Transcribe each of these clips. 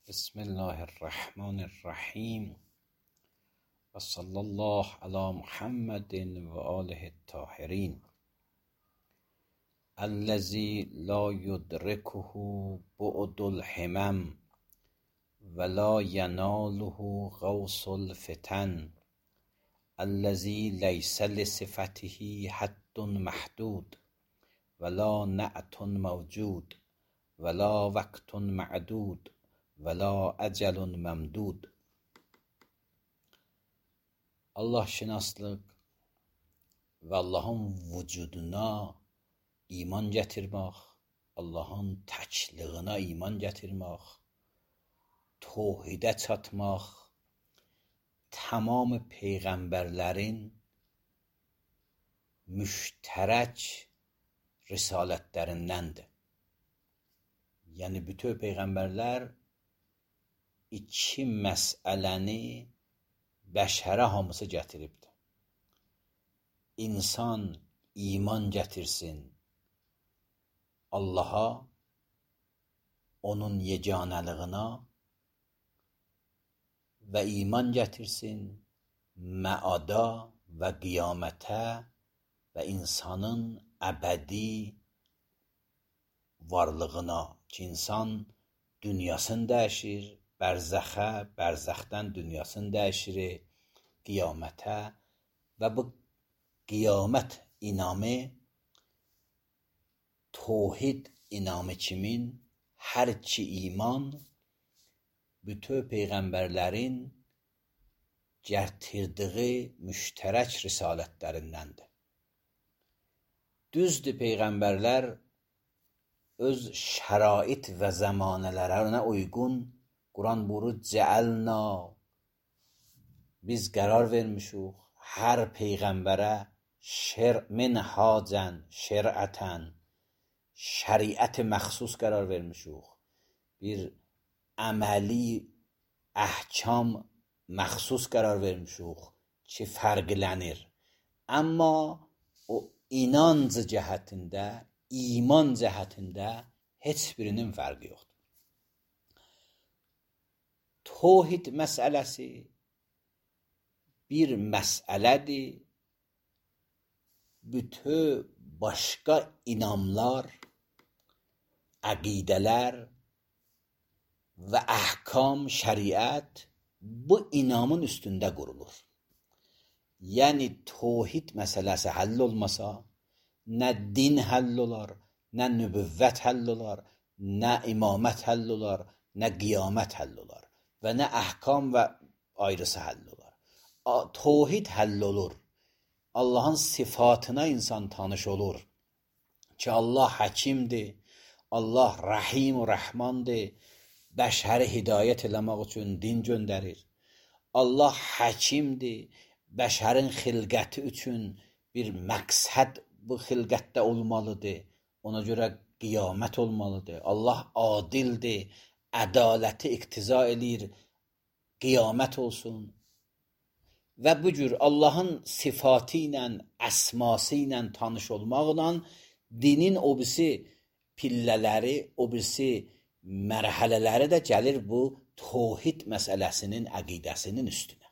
بسم الله الرحمن الرحیم و صلی الله علی محمد و آله الطاهرین الذی لا یدرکه بعد الهمم ولا یناله غوص الفتن الذی لیس لصفته حد محدود ولا نعت موجود ولا وقت معدود ولا ecel məmdud. Allah şinaslıq və Allahın vücuduna iman gətirmək, Allahın təkliyinə iman gətirmək, təvhidə çatmaq, tamam peyğəmbərlərin müştərək risalətlərindəndir. Yəni bütün peyğəmbərlər iki məsələni bəşərə hamısı gətiribdir. İnsan iman gətirsin Allaha, onun yeganəliyinə və iman gətirsin məada və qiyamətə və insanın əbədi varlığına ki, insan dünyasını dəyişir, bərzəxə, bərzəxdən dünyasını dəyişir, qiyamətə və bu qiyamət inamı təvhid inamı kimin hər ki iman bütün peyğəmbərlərin gətirdiyi müştərək risalətlərindəndir. Düzdür, peyğəmbərlər öz şərait və zəmanələrinə uyğun Quran buyurur, cəəlna, biz qərar vermişik hər peyğəmbərə minhacən, şərətən, şəriət məxsus qərar vermişik. Bir əməli əhkam məxsus qərar vermişik ki, fərqlənir. Amma o inanc cəhətində, iman cəhətində heç birinin fərqi yoxdur. Təvhid məsələsi bir məsələdir. Bütün başqa inamlar, əqidələr və əhkam, şəriət bu inamın üstündə qurulur. Yəni təvhid məsələsi həll olmasa, nə din həll olar, nə nübüvvət həll olar, nə imamət həll olar, nə qiyamət həll olar və nə əhkam və ayrısı həll olar. Təvhid həll olur. Allahın sifatına insan tanış olur ki, Allah həkimdir, Allah rəhim və rəhmandır, bəşəri hidayət eləmək üçün din göndərir. Allah həkimdir, bəşərin xilqəti üçün bir məqsəd bu xilqətdə olmalıdır. Ona görə qiyamət olmalıdır. Allah adildir, ədaləti iqtiza eləyir, qiyamət olsun. Və bu cür Allahın sifatı ilə, əsması ilə tanış olmaqla dinin o birisi pillələri, o birisi mərhələləri də gəlir bu təvhid məsələsinin, əqidəsinin üstünə.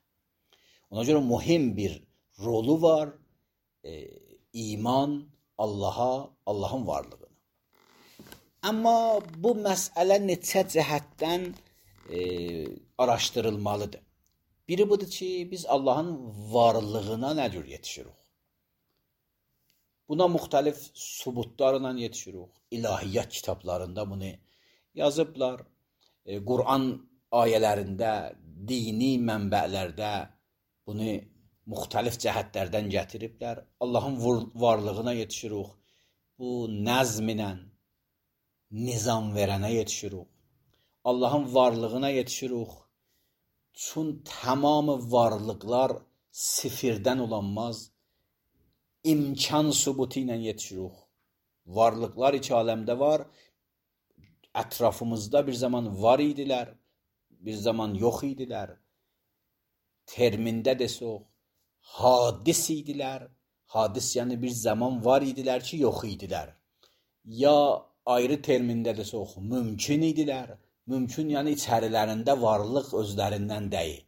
Ona görə mühüm bir rolu var iman Allaha, Allahın varlığına. Amma bu məsələ neçə cəhətdən araşdırılmalıdır. Biri budur ki, biz Allahın varlığına nə cür yetişirik? Buna müxtəlif sübutlarla yetişirik. İlahiyyat kitablarında bunu yazıblar. Quran ayələrində, dini mənbələrdə bunu müxtəlif cəhətlərdən gətiriblər. Allahın varlığına yetişirik. Bu nəzm ilə nizam verənə yetişirik. Allahın varlığına yetişirik. Çün tamamı varlıqlar sifirdən olanmaz, imkan sübutu ilə yetişirik. Varlıqlar iki aləmdə var. Ətrafımızda bir zaman var idilər, bir zaman yox idilər. Termində desək, hadis idilər. Hadis yəni bir zaman var idilər ki, yox idilər. Ya ayrı termində desək, mümkün idilər, mümkün, yəni içərilərində varlıq özlərindən deyil.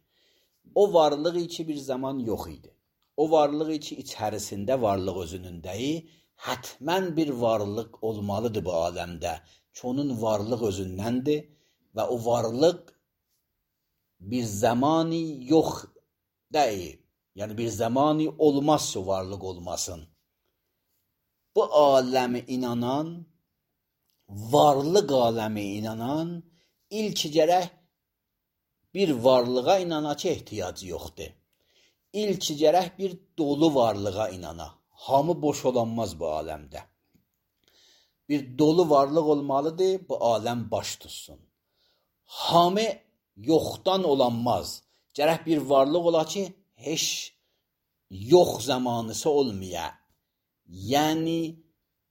O varlıq ki bir zaman yox idi. O varlıq ki içərisində varlıq özünün deyil, hətmən bir varlıq olmalıdır bu aləmdə. Ki onun varlıq özündəndir və o varlıq bir zamanı yox deyil. Yəni bir zamanı olmazsa varlıq olmasın. Bu aləmi inanan, varlıq aləmi inanan ilk gərək bir varlığa inana ki ehtiyacı yoxdur. İlk gərək bir dolu varlığa inana. Hamı boş olanmaz bu aləmdə. Bir dolu varlıq olmalıdır, bu aləm baş tutsun. Hamı yoxdan olanmaz. Gərək bir varlıq ola ki, heç yox zamanısı olmaya. Yəni,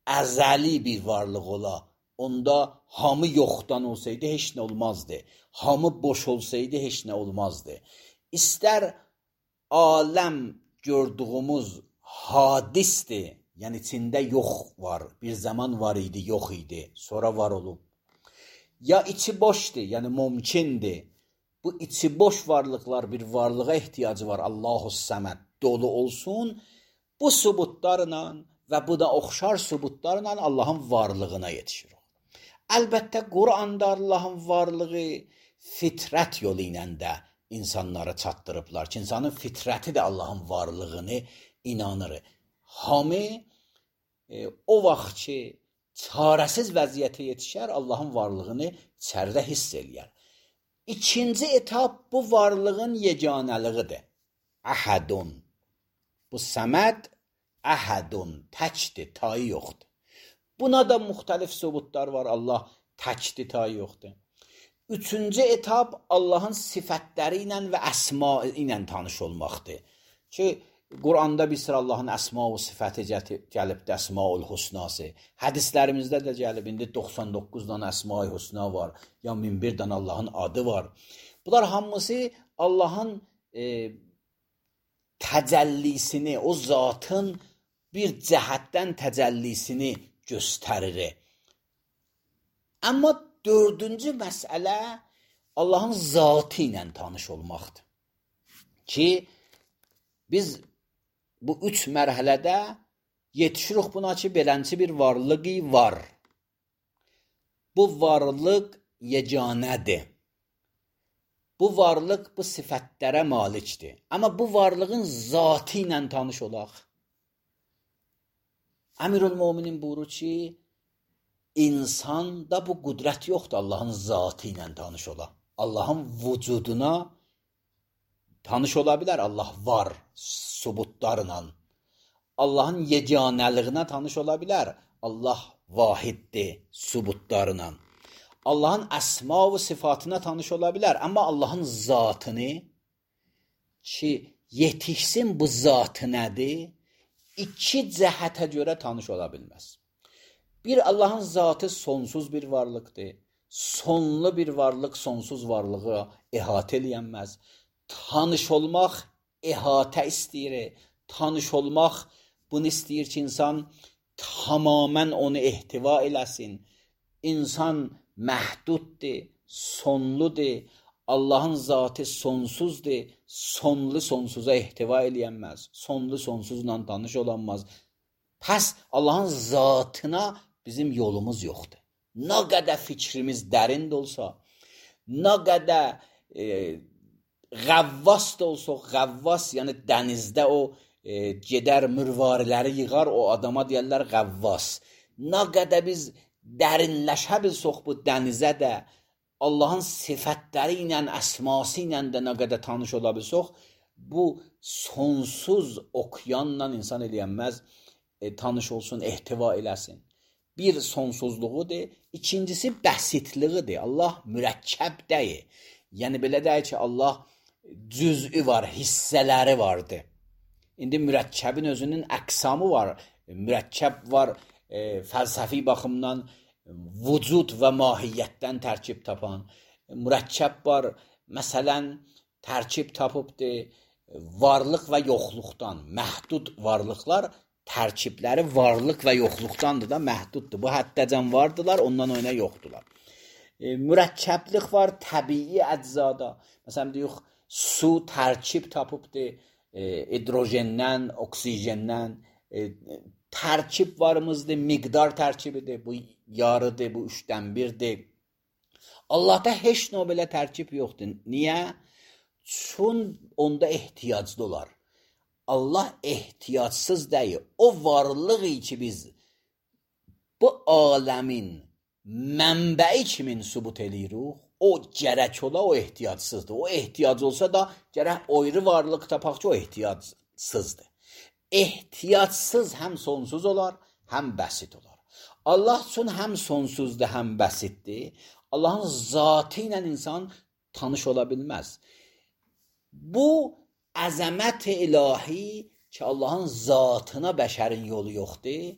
əzəli bir varlıq ola. Onda hamı yoxdan olsaydı heç nə olmazdı. Hamı boş olsaydı heç nə olmazdı. İstər aləm gördüyümüz hadisdir. Yəni içində yox var. Bir zaman var idi, yox idi. Sonra var olub. Ya içi boşdur, yəni mümkündür. Bu içi boş varlıqlar bir varlığa ehtiyacı var. Allahu-Səməd dolu olsun. Bu sübutlarla və bu da oxşar sübutlarla Allahın varlığına yetişir. Əlbəttə, Quranda Allahın varlığı fitrət yolu ilə də insanlara çatdırıblar ki, insanın fitrəti də Allahın varlığını inanır. Hamı o vaxt ki, çarəsiz vəziyyətə yetişər, Allahın varlığını içəridə hiss eləyər. İkinci etap bu varlığın yeganəliğidir. Əhədun. Bu Səməd əhədun, təkdir, tayı yoxdur. Buna da müxtəlif sübutlar var. Allah təkdir, tayı yoxdur. Üçüncü etap Allahın sifətləri ilə və əsma ilə tanış olmaqdır. Ki, Quranda bir sıra Allahın əsma və sifəti gəlibdir, əsma-ül husnası. Hədislərimizdə də gəlib, indi 99 dənə əsma-ül husna var, ya 1001 dənə Allahın adı var. Bunlar hamısı Allahın təcəllisini, o zatın bir cəhətdən təcəllisini göstərir. Amma dördüncü məsələ Allahın zatı ilə tanış olmaqdır. Ki, biz bu üç mərhələdə yetişirik buna ki, belənçi bir varlığı var. Bu varlıq yeganədir. Bu varlıq bu sifətlərə malikdir. Amma bu varlığın zatı ilə tanış olaq. Əmirül-Möminin buyurur ki, insanda bu qüdrət yoxdur Allahın zatı ilə tanış ola. Allahın vücuduna tanış ola bilər. Allah var sübutlarla. Allahın yeganəliyinə tanış ola bilər. Allah vahiddir sübutlarla. Allahın əsma və sifatına tanış ola bilər. Amma Allahın zatını ki, yetişsin bu zatı nədir? İki cəhətə görə tanış ola bilməz. Bir, Allahın zatı sonsuz bir varlıqdır. Sonlu bir varlıq sonsuz varlığı əhatə eləyənməz. Tanış olmaq əhatə istəyir. Tanış olmaq bunu istəyir ki, insan tamamən onu ehtiva eləsin. İnsan məhduddur, sonludur. Allahın zatı sonsuzdur. Sonlu sonsuza ehtiva eləyənməz. Sonlu sonsuzla tanış olanmaz. Pəs Allahın zatına bizim yolumuz yoxdur. Nə qədər fikrimiz dərin də olsa, nə qədər qəvvas da olsa, qəvvas, yəni dənizdə o gedər mürvariləri yığar, o adama deyərlər qəvvas. Nə qədər biz dərinləşə bilsək bu dənizə də, Allahın sifətləri ilə, əsması ilə də nə qədər tanış ola bilsək, bu sonsuz okyanla insan eləyənməz, tanış olsun, ehtiva eləsin. Bir sonsuzluğudur, ikincisi bəsitliğidir. Allah mürəkkəb deyil. Yəni belə deyil ki, Allah cüz'ü var, hissələri vardır. İndi mürəkkəbin özünün əqsamı var. Mürəkkəb var, fəlsəfi baxımdan vücud və mahiyyətdən tərkib tapan. Mürəkkəb var, məsələn, tərkib tapıbdır varlıq və yoxluqdan. Məhdud varlıqlar tərkibləri varlıq və yoxluqdandır da məhduddur. Bu həddəcən vardılar, ondan oyuna yoxdular. Mürəkkəblik var təbii əczada. Məsələn deyirik su tərkib tapıbdır hidrojendən, oksijendən. Tərkib varımızdır, miqdar tərkibidir. Bu yarıdır, bu 3-dən 1-dir. Allahda heç nə belə tərkib yoxdur. Niyə? Çün onda ehtiyaclı olar. Allah ehtiyacsız deyil. O varlığı ki biz bu aləmin mənbəyi kimi sübut edirik, o gərək ola, o ehtiyacsızdır. O ehtiyac olsa da gərək ayrı varlıq tapaq ki, o ehtiyacsızdır. Ehtiyacsız həm sonsuz olar, həm bəsit olar. Allah üçün həm sonsuzdur, həm bəsitdir. Allahın zatı ilə insan tanış ola bilməz. Bu əzəmət ilahi ki, Allahın zatına bəşərin yolu yoxdur.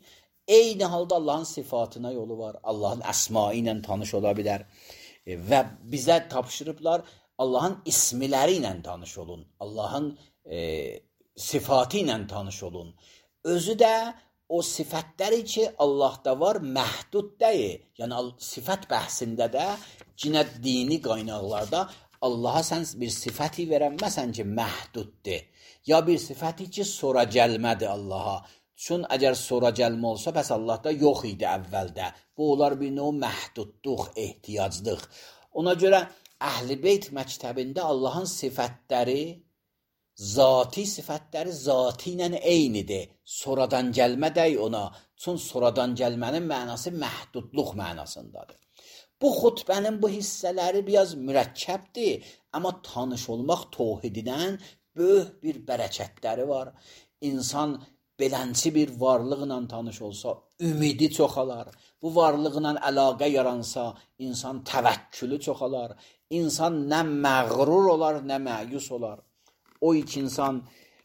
Eyni halda Allahın sifatına yolu var. Allahın əsma ilə tanış ola bilər. Və bizə tapşırıblar, Allahın ismiləri ilə tanış olun. Allahın sifatı ilə tanış olun. Özü də o sifətləri ki, Allahda var, məhdud deyil. Yəni, sifət bəhsində də, cinə dini qaynaqlarda Allaha sən bir sifəti verənməsən ki, məhduddur. Ya bir sifəti ki, sonra gəlmədi Allaha. Çün əgər sonra gəlmə olsa, bəs Allahda yox idi əvvəldə. Bu, onlar bir növ məhdudluq, ehtiyaclıq. Ona görə Əhl-i Beyt məktəbində Allahın sifətləri, zati sifətləri zati ilə eynidir. Sonradan gəlmə dey ona. Çün sonradan gəlmənin mənası məhdudluq mənasındadır. Bu xutbənin bu hissələri biraz mürəkkəbdir. Amma tanış olmaq tövhidindən böyük bir bərəkətləri var. İnsan belənçi bir varlıqla tanış olsa, ümidi çoxalar. Bu varlıqla əlaqə yaransa, insan təvəkkülü çoxalar. İnsan nə məğrur olar, nə məyus olar. O iki insan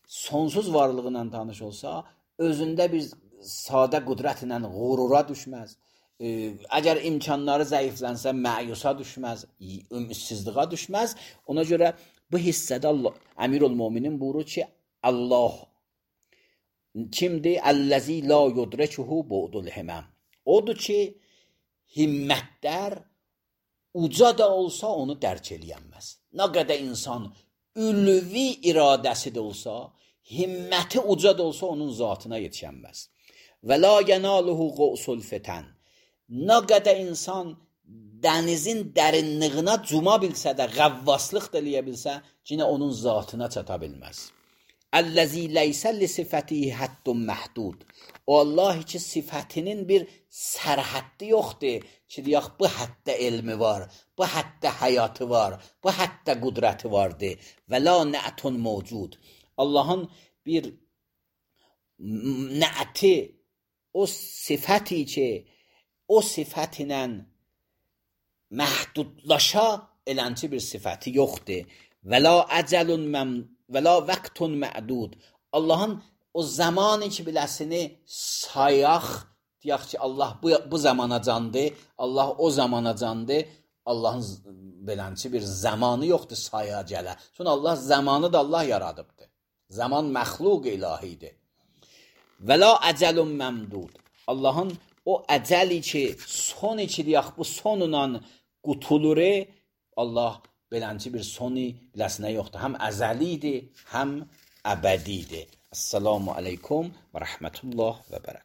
sonsuz varlığıyla tanış olsa, özündə bir sadə qüdrətlə qurura düşməz. Əgər imkanları zəiflənsə, məyusa düşməz, ümidsizliğə düşməz. Ona görə bu hissədə Əmirül-Möminin buyurur ki, Allah kimdir? Əlləzi la yudrekuhu bu'dul himəm. Odur ki, himmətlər uca da olsa onu dərk eləyənməz. Nə qədər insan ülvi iradəsi də olsa, himməti uca da olsa onun zatına yetişənməz. Və la yenaluhu qusul fitən. Nə qədər insan dənizin dərinliyinə cuma bilsə də, qəvvaslıq da eləyə bilsə, yenə onun zatına çata bilməz. Əlləzi leysə li sifətihi həddun məhdud. O Allah ki, sifətinin bir sərhəddi yoxdur ki, deyək, bu həddə elmi var, bu həddə həyatı var, bu həddə qudrəti vardır. Və la nə'tun mövcud. Allahın bir nə'ti, o sifəti ki, o sifət ilə məhdudlaşa elənci bir sifəti yoxdur. Və la vəqtun mə'dud. Allahın o zamanı ki, biləsini sayaq, deyək ki, Allah bu zamana candır, Allah o zamana candır. Allahın belənci bir zamanı yoxdur saya gələ. Sonra Allah zamanı da Allah yaradıbdır. Zaman məxluq ilahidir. Və la əcəlun məmdud. Allahın o əcəli ki, son ki, deyək, bu sonla qutulur, Allah belənci bir sonu biləsinə yoxdur. Həm əzəlidir, həm əbədidir. Esselamu aleykum və rəhmətullah və bərəkət.